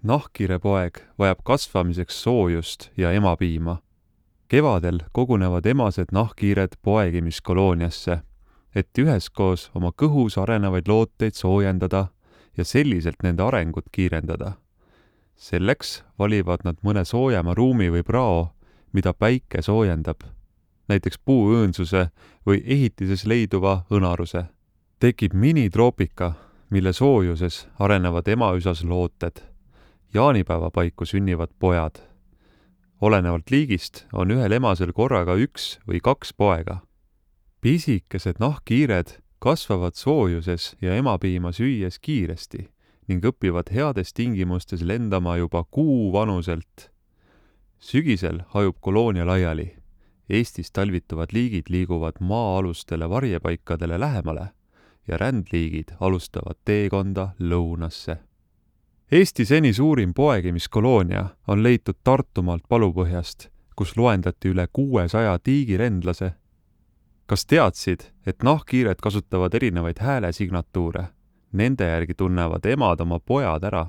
Nahkhiirepoeg vajab kasvamiseks soojust ja emapiima. Kevadel kogunevad emased nahkhiired poegimiskolooniasse, et üheskoos oma kõhus arenevaid looteid soojendada ja selliselt nende arengut kiirendada. Selleks valivad nad mõne soojema ruumi või prao, mida päike soojendab, näiteks puuõõnsuse või ehitises leiduva õnaruse. Tekib minitroopika, mille soojuses arenevad emaüsas looted. Jaanipäeva paiku sünnivad pojad. Olenevalt liigist on ühel emasel korraga 1 või 2 poega. Pisikesed nahkhiired kasvavad soojuses ja emapiima süües kiiresti ning õpivad heades tingimustes lendama juba kuu vanuselt. Sügisel hajub koloonia laiali. Eestis talvituvad liigid liiguvad maa-alustele varjepaikadele lähemale ja rändliigid alustavad teekonda lõunasse. Eesti seni suurim poegimiskolonia on leitud Tartumaalt Palupõhjast, kus loendati üle 600 tiigirendlase. Kas teadsid, et nahkhiired kasutavad erinevaid häälesignatuure? Nende järgi tunnevad emad oma pojad ära.